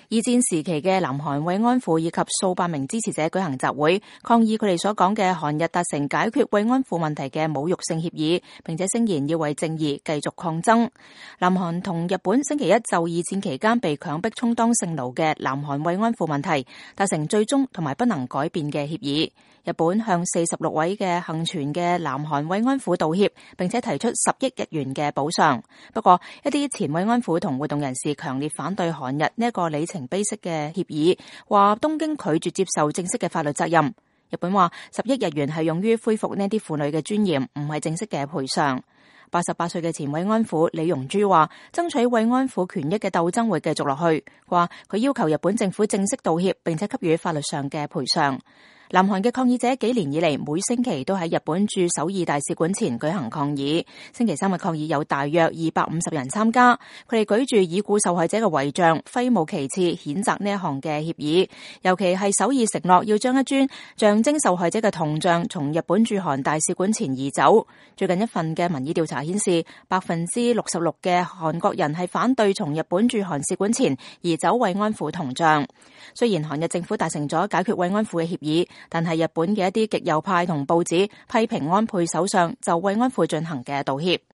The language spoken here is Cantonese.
二戰時期嘅南韓慰安婦以及數百名支持者舉行集會，抗議佢哋所講嘅韓日達成解決慰安婦問題嘅侮辱性協議，並且聲言要為正義繼續抗爭。南韓同日本星期一就二戰期間被強迫充當性奴嘅南韓慰安婦問題達成最終同埋不能改變嘅協議。日本向46位嘅幸存嘅南韓慰安婦道歉，並且提出10億日元嘅補償。不過，一啲前慰安婦同活動人士強烈反對韓日呢一個里程碑式嘅協議，話東京拒絕接受正式嘅法律責任。日本話10億日元係用於恢復呢啲婦女嘅尊嚴，唔係正式嘅賠償。88歲嘅前慰安婦李容珠話，爭取慰安婦權益嘅鬥爭會繼續落去，話佢要求日本政府正式道歉，並且給予法律上嘅賠償。南韓嘅抗議者幾年以嚟每星期都喺日本駐首爾大使館前舉行抗議。星期三嘅抗議有大約250人參加，佢哋舉住已故受害者嘅遺像，揮舞旗幟譴責呢一項嘅協議。尤其係首爾承諾要將一尊象徵受害者嘅銅像從日本駐韓大使館前移走。最近一份嘅民意調查顯示，66%嘅韓國人係反對從日本駐韓使館前移走慰安婦銅像。雖然韓日政府達成咗解決慰安婦嘅協議，但係日本嘅一啲極右派同報紙批評安倍首相就慰安婦進行嘅道歉。